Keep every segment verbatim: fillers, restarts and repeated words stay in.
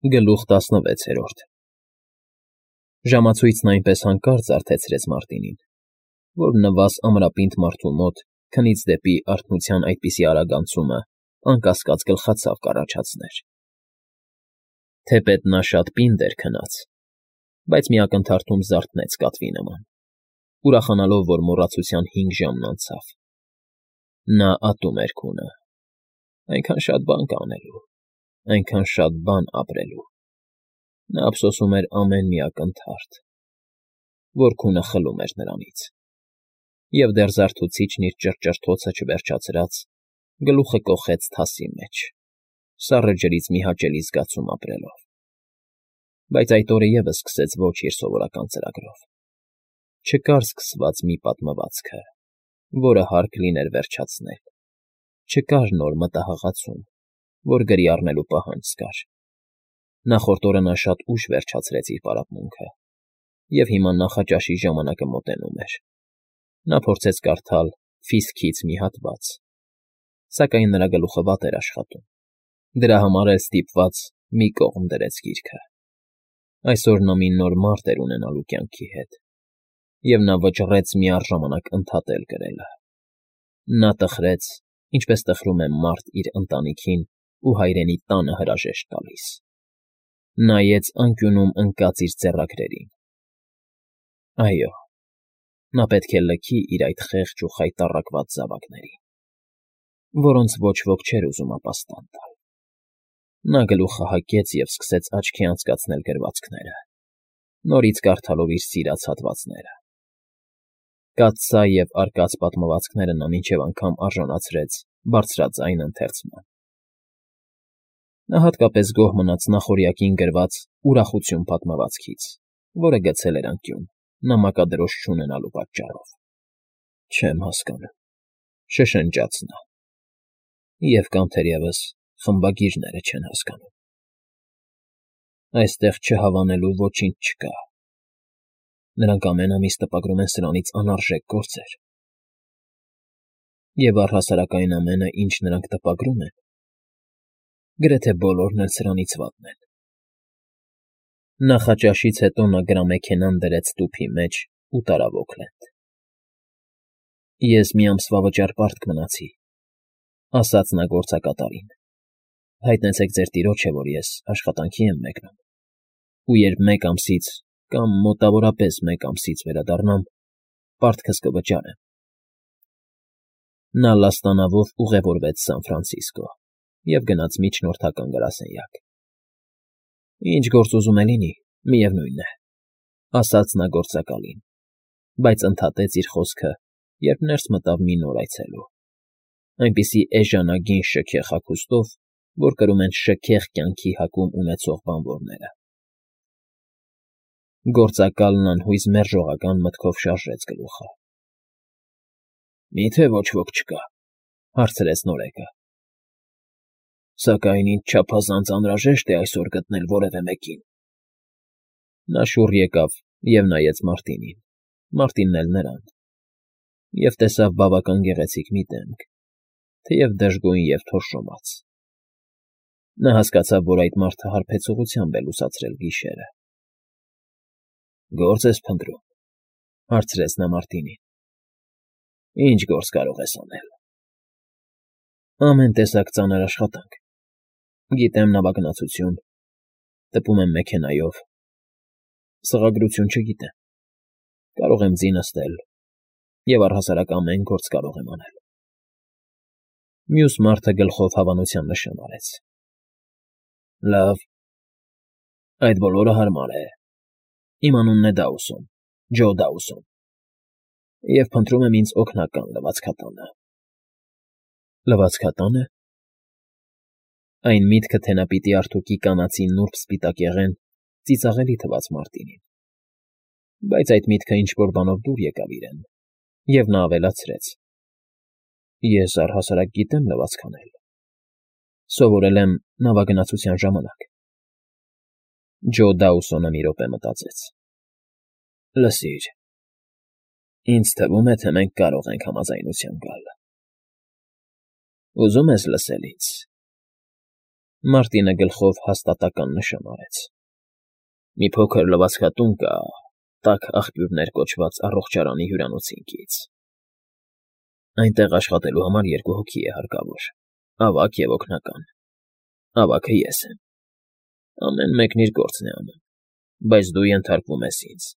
Գլուխ տասնվեցերորդ Ժամացույցն այնպես հանկարծ զարթեցրեց Մարտինին, որ նվազ ամրապինդ մարդու մոտ քնից դեպի արթնության այդպիսի արագացումը անկասկած գլխացավ կառաջացներ. թեպետ նա շատ պինդ էր քնած, բայց մի ակնթարթում զարթնեց կատվի նման, ուրախանալով, որ մոռացության հինգ ժամն անցավ. նա ատում էր քունը, այնքան շատ բան կա անելու, այնքան շատ բան ապրելու, նա ափսոսում էր ամեն մի ակնթարթ, որ քունը խլում էր նրանից, և դեռ զարթուցիչն իր ճռճռթոցը չվերջացրած, գլուխը կոխեց թասի մեջ, սառը ջրից մի հաճելի զգացում ապրելով, բայց այդ օրը ևս սկսեց ոչ իր սովորական ծրագրով, չկար սկսված մի պատմվածքը, որը հարկ լիներ վերջացնել, չկար նոր մտահաղացում, որ գրի առնելու պահանջ զգար, նախորդ օրը նա շատ ուշ վերջացրեց իր պարապմունքը, և հիմա նախաճաշի ժամանակը մոտենում էր, նա փորձեց կարդալ «Ֆիսքից» մի հատված, սակայն նրա գլուխը վատ էր աշխատում, դրա համար էլ ստիպված մի կողմ դրեց գիրքը, այսօր նա մի նոր մարտ էր ունենալու կյանքի հետ, և նա վճռեց միառժամանակ ընդհատել գրելը, նա տխրեց, ինչպես տխրում է մարդ իր ընտանիքին ու հայրենի տանը հրաժեշտ տալիս, նայեց անկյունում ընկած իր ձեռագրերին, այո, նա պետք է լքի իր այդ խեղճ ու խայտառակված զավակներին, որոնց ոչ ոք չէր ուզում ապաստան տալ, նա գլուխը հագեց և սկսեց աչքի անցկացնել գրվածքները, նորից կարդալով իր սիրած հատվածները, կաթսա և արկած պատմվածքները նա մինչև անգամ արժանացրեց բարձրաձայն ընթերցման, նա հատկապես գոհ մնաց նախօրյակին գրված «Ուրախություն» պատմվածքից, որը գցել էր անկյուն, նամակադրոշ չունենալու պատճառով։ Չեմ հասկանում, շշնջաց նա, և կամ թերևս խմբագիրները չեն հասկանում։ Այստեղ չհավանելու ոչինչ չկա, նրանք ամեն ամիս տպագրում են սրանից անարժեք գործեր, և առհասարակ այն ամենը, ինչ նրանք տպագրում են, գրեթե բոլորն էլ սրանից վատն են։ Նախաճաշից հետո նա գրամեքենան դրեց տուփի մեջ ու տարավ Օքլենդ։ Ես մի ամսվա վճար պարտք մնացի, ասաց նա գործակատարին, հայտնեցեք ձեր տիրոջը, որ ես աշխատանքի եմ մեկնում, ու երբ մեկ ամսից կամ մոտավորապես մեկ ամսից վերադառնամ, պարտքս կվճարեմ։ Նա լաստանավով ուղևորվեց Սան Ֆրանցիսկո և գնաց միջնորդական գրասենյակ։ Ինչ գործ ուզում է լինի, միևնույն է, ասաց նա գործակալին, բայց ընդհատեց իր խոսքը, երբ ներս մտավ մի նոր այցելու, այնպիսի էժանագին շքեղ հագուստով, որ կրում են շքեղ կյանքի հակում ունեցող բանվորները։ Գործակալն անհույզ մերժողական մտքով շարժեց գլուխը։ Մի՞թե ոչ ոք չկա, հարցրեց նորեկը։ Սակայն ինձ չափազանց անհրաժեշտ է այսօր գտնել որևէ մեկին։ Նա շուռ եկավ և նայեց Մարտինին, Մարտինն էլ նրան, և տեսավ բավական գեղեցիկ մի դեմք, թեև դժգույն և թորշոմած։ Նա հասկացավ, որ այդ մարդը հարբեցողությամբ է լուսացրել գիշերը։ Գործ ես փնտրում, հարցրեց նա Մարտինին։ Ինչ գործ կարող ես անել։ Ամեն տեսակ ծանր աշխատանք, գիտեմ նավագնացություն, տպում եմ մեքենայով, սղագրություն չգիտեմ, կարող եմ ձի նստել և առհասարակ ամեն գործ կարող եմ անել։ Մյուս մարդը գլխով հավանության նշան արեց։ Լավ, այդ բոլորը հարմար է, իմ անունն է Դաուսոն, Ջո Դաուսոն, և փնտրում եմ ինձ օգնական լվացքատանը։ Լվացքատա՞նը։ Այն միտքը, թե նա պիտի արթուկի կանացի նուրբ սպիտակեղեն, ծիծաղելի թվաց Մարտինին, բայց այդ միտքը ինչ֊որ բանով դուր եկավ իրեն, և նա ավելացրեց. Ես առհասարակ գիտեմ լվացք անել, սովորել եմ նավագնացության ժամանակ։ Ջո Դաուսոնը մի րոպե մտածեց։ Լսիր, ինձ թվում է, թե մենք կարող ենք համաձայնության գալ։ Ուզում ես լսել ինձ։ Մարտինը գլխով հաստատական նշան արեց։ Մի փոքր լվացքատուն կա Տաք աղբյուրներ կոչված առողջարանի հյուրանոցինքից։ Այնտեղ աշխատելու համար երկու հոգի է հարկավոր, ավագ և օգնական։ Ավագը ես եմ։ Ամեն մեկն իր գործն է անում, բայց դու ենթարկվում ես ինձ։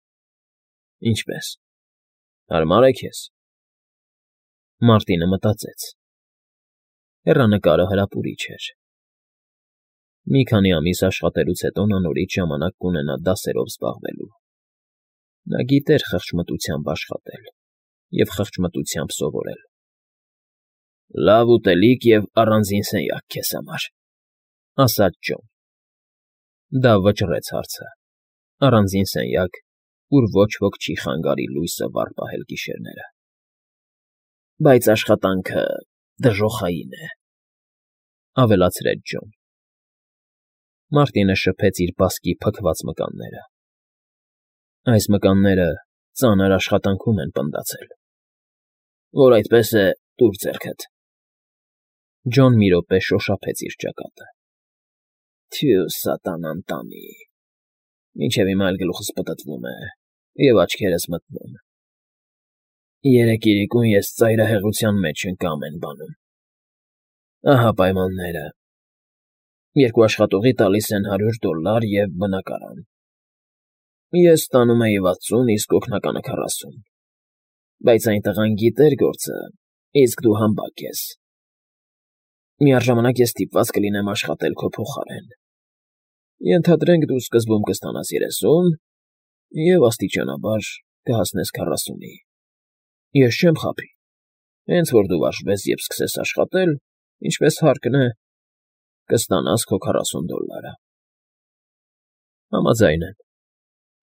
Ինչպե՞ս, հարմար է քեզ։ Մարտինը մտածեց։ Հեռանկարը հրապուրիչ էր։ Մի քանի ամիս աշխատելուց հետո նա նորից ժամանակ կունենա դասերով զբաղվելու։ Նա գիտեր խղճմտությամբ աշխատել և խղճմտությամբ սովորել։ Լավ ուտելիք և առանձին սենյակ քեզ համար, ասաց Ջոն։ Դա վճռեց հարցը։ Առանձին սենյակ, ուր ոչ ոք չի խանգարի լույսը վառ պահել գիշերները։ Բայց աշխատանքը դժոխային է, ավելացրեց Ջոն։ Մարտինը շփեց իր բասկի փքված մկանները։ Այս մկանները ծանր աշխատանքում են պնդացել։ Որ այդպես է, տուր ձեռքդ։ Ջոն մի րոպե շոշափեց իր ճակատը։ Թյու սատանան տանի։ Մինչև հիմա էլ գլուխս պտտվում է և աչքերս մթնում։ Երեկ իրիկուն ես ծայրահեղության մեջ ընկա ամեն բանում։ Ահա պայմանները։ Երկու աշխատողի տալիս են հարյուր դոլլար և բնակարան։ Ես ստանում էի վաթսուն, իսկ օգնականը քառասուն։ Բայց այն տղան գիտեր գործը, իսկ դու համբակ ես։ Միառժամանակ ես ստիպված կլինեմ աշխատել քո փոխարեն։ Ենթադրենք դու սկզբում կստանաս երեսուն և աստիճանաբար կհասնես քառասունի։ Ես չեմ խաբի։ Հենց որ դու վարժվես և սկսես աշխատել, ինչպես հարկն է, կստանաս քո քառասուն դոլլարը։ Համաձայն եմ,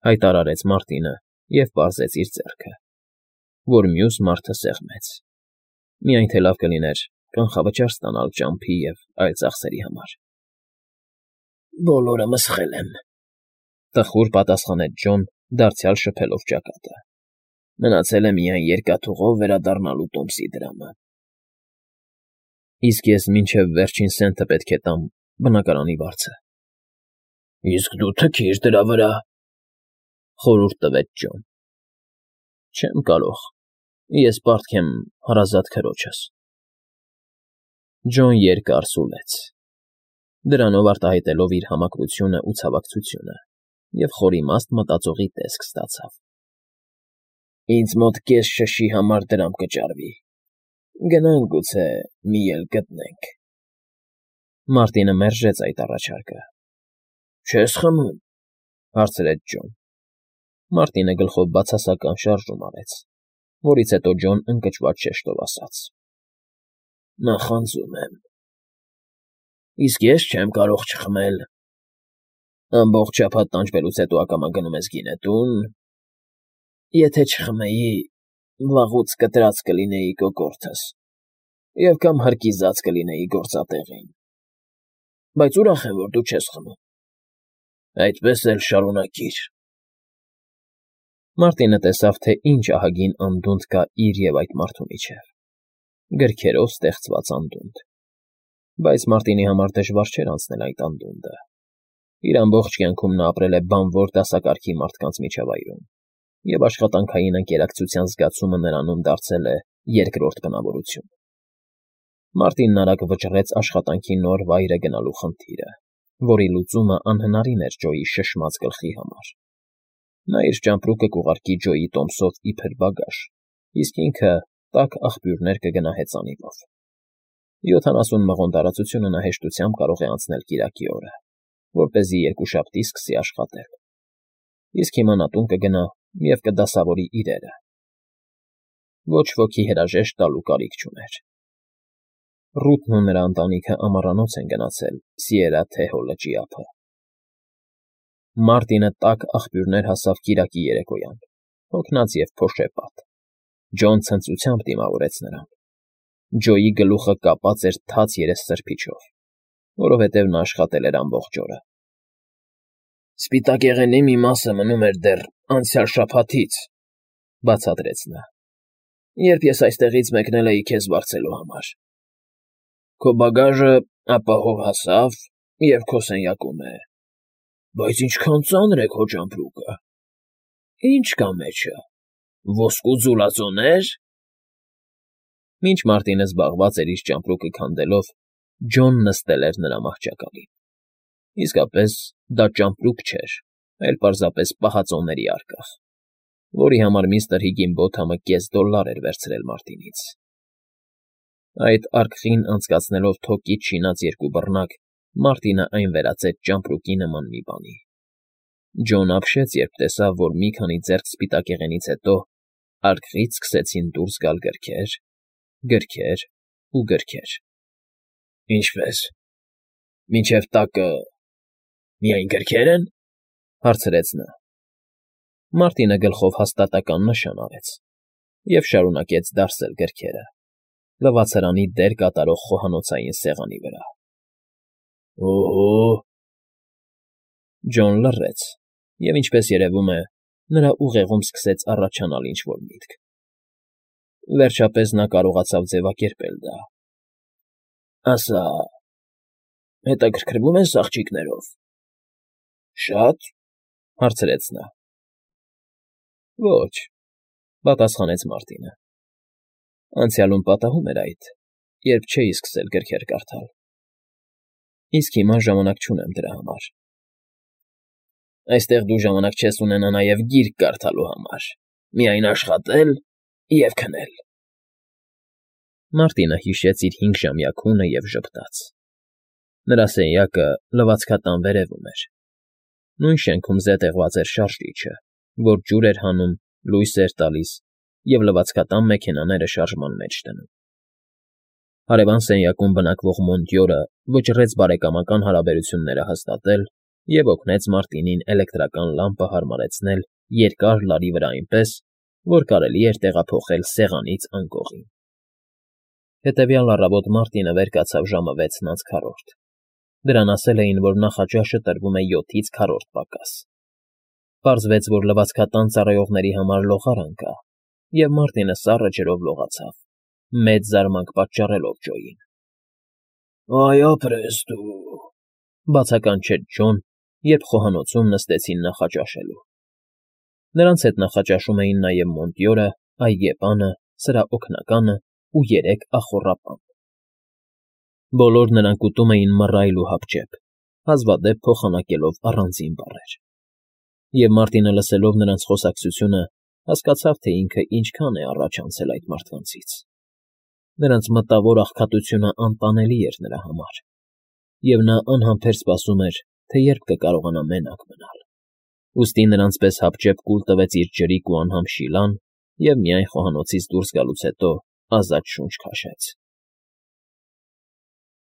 հայտարարեց Մարտինը և պարզեց իր ձեռքը, որ մյուս մարդը սեղմեց։ Միայն թե լավ կլիներ կանխավճար ստանալ ճամփի և այլ ծախսերի համար։ Բոլորը մսխել եմ, տխուր պատասխանեց Ջոն, դարձյալ շփելով ճակատը։ Մնացել է միայն երկաթուղով վերադառնալու տոմսի դրամը։ Իսկ ես մինչև վերջին սենթը պետք է տամ բնակարանի վարձը։ Իսկ դու թքիր դրա վրա, խորհուրդ տվեց Ջոն։ Չեմ կարող, ես պարտք եմ հարազատ քրոջս։ Ջոն երկար սուլեց, դրանով արտահայտելով իր համակրությունն ու ցավակցությունը, և խորիմաստ մտածողի տեսք ստացավ։ Ինձ մոտ կես շշի համար դրամ կճարվի։ Գնանք գուցե մի ել գտնենք։ Մարտինը մերժեց այդ առաջարկը։ Չես խմում, հարցրեց Ջոն։ Մարտինը գլխով բացասական շարժում արեց, որից հետո Ջոն ընկճված շեշտով ասաց. Նախանձում եմ։ Իսկ ես չեմ կարող չխմել։ Ամբողջ շաբաթ տանջվելուց հետո ակամա գնում ես գինետուն։ Եթե չխմեի, վաղուց կտրած կլինեի կոկորդս և կամ հրկիզած կլինեի գործատեղին։ Բայց ուրախ եմ, որ դու չես խմում։ Այդպես էլ շարունակիր։ Մարտինը տեսավ, թե ինչ ահագին անդունդ կա իր և այդ մարդու միջև։ Գրքերով ստեղծված անդունդ։ Բայց Մարտինի համար դժվար չէր անցնել այդ անդունդը։ Իր ամբողջ կյանքում նա ապրել է բանվոր դասակարգի մարդկանց միջավայրում, և աշխատանքային ընկերակցության զգացումը նրանում դարձել է երկրորդ բնավորություն։ Մարտինն արագ վճռեց աշխատանքի նոր վայրը գնալու խնդիրը, որի լուծումը անհնարին էր Ջոյի շշմած գլխի համար։ Նա իր ճամպրուկը կուղարկի Ջոյի տոմսով իբր բագաժ, իսկ ինքը տաք աղբյուրներ կգնա հեծանիվով։ Յոթանասուն մղոն տարածությունը նա հեշտությամբ կարող է անցնել կիրակի օրը, որպեսզի երկուշաբթի սկսի աշխատել։ Իսկ հիմա նա տուն կգնա և կդասավորի իրերը։ Ոչ ոքի հրաժեշտ տալու կարիք չուներ։ Ռութն ու նրա ընտանիքը ամառանոց են գնացել Սիերա-Թեհո լճի ափը։ Մարտինը տաք աղբյուրներ հասավ կիրակի երեկոյան, հոգնած և փոշեպատ։ Ջոն ցնծությամբ դիմավորեց նրան։ Ջոյի գլուխը կապած էր թաց երեսսրբիչով, որովհետև նա աշխատել էր ամբողջ օրը։ Սպիտակեղենի մի մասը մնում էր դեռ անցյալ շաբաթից, բացատրեց նա, երբ ես այստեղից մեկնել էի քեզ վարձելու համար։ Քո բագաժը ապահով հասավ և քո սենյակում է, բայց ինչքան ծանր է քո ճամպրուկը… Ի՞նչ կա մեջը, ոսկու ձուլածոնե՞ր… Մինչ Մարտինը զբաղված էր իր ճամպրուկը քանդելով, Ջոն նստել էր նրա մահճակալին. իսկապես դա ճամպրուկ չէր, այլ պարզապես պահածոների արկղ, որի համար միստր Հիգինբոթամը կես դոլլար էր վերցրել Մարտինից. այդ արկղին անցկացնելով թոկից շինած երկու բռնակ, Մարտինը այն վերածեց ճամպրուկի նման մի բանի… Ջոն ապշեց, երբ տեսավ, որ մի քանի ձեռք սպիտակեղենից հետո արկղից սկսեցին դուրս գալ գրքեր, գրքեր ու գրքեր։ ֊ Ինչպե՞ս, մինչև տակը… միայն գրքե՞ր են,֊ հարցրեց նա։ Մարտինը գլխով հաստատակամ նշան արեց և շարունակեց դարսել գրքերը՝ լվացարանի դեր կատարող խոհանոցային սեղանի վրա։ ֊ Օհո՜… Ջոն լռեց, և, ինչպես երևում է, նրա ուղեղում սկսեց առաջանալ ինչ֊որ միտք… Վերջապես նա կարողացավ ձևակերպել դա։ ֊ Ասա… հետաքրքրվում ես աղջիկներով… ֊ Շա՞տ,֊ հարցրեց նա։ ֊ Ոչ,֊ պատասխանեց Մարտինը։ Անցյալում պատահում էր այդ, երբ չէի սկսել գրքեր կարդալ, իսկ հիմա ժամանակ չունեմ դրա համար։ ֊ Այստեղ դու ժամանակ չես ունենա նաև գիրք կարդալու համար, միայն աշխատել և քնել… Մարտինը հիշեց իր հինգժամյա քունը և ժպտաց… Նրա սենյակը լվացքատան վերևում էր, նույն շենքում զետեղված էր շարժիչը, որ ջուր էր հանում, լույս էր տալիս և լվացքատան մեքենաները շարժման մեջ դնում։ Հարևան սենյակում բնակվող Մոնտյորը վճռեց բարեկամական հարաբերությունները հաստատել և օգնեց Մարտինին էլեկտրական լամպը հարմարեցնել երկար լարի վրա այնպես, որ կարելի էր տեղափոխել սեղանից անկողին։ Հետևյալ առավոտ Մարտինը վեր կացավ ժամը վեցն անց քառորդ. դրան ասել էին, որ նախաճաշը տրվում է յոթից քառորդ պակաս։ Պարզվեց, որ լվացքատան ծառայողների համար լողարան կա, և Մարտինը սառը ջրով լողացավ, մեծ զարմանք պատճառելով Ջոյին։ ֊ Այ ապրես դու,֊ բացականչեց Ջոն, երբ խոհանոցում նստեցին նախաճաշելու։ Նրանց հետ նախաճաշում էին նաև Մոնտյորը, այգեպանը, սրա օգնականը ու երեք ախոռապան։ Բոլոր նրանք ուտում էին մռայլ ու հապճեպ, հազվադեպ փոխանակելով առանձին բառեր։ Եվ Մարտինը, լսելով նրանց խոսակցությունը, հասկացավ, թե ինքը ինչքան է առաջ անցել այդ մարդկանցից։ Նրանց մտավոր աղքատությունը անտանելի էր նրա համար, և նա անհամբեր սպասում էր, թե երբ կկարողանա մենակ մնալ։ Ուստի նրանց պես հապճեպ կուլ տվեց իր ջրիկ ու անհամ շիլան և միայն խոհանոցից դուրս գալուց հետո ազատ շունչ քաշեց։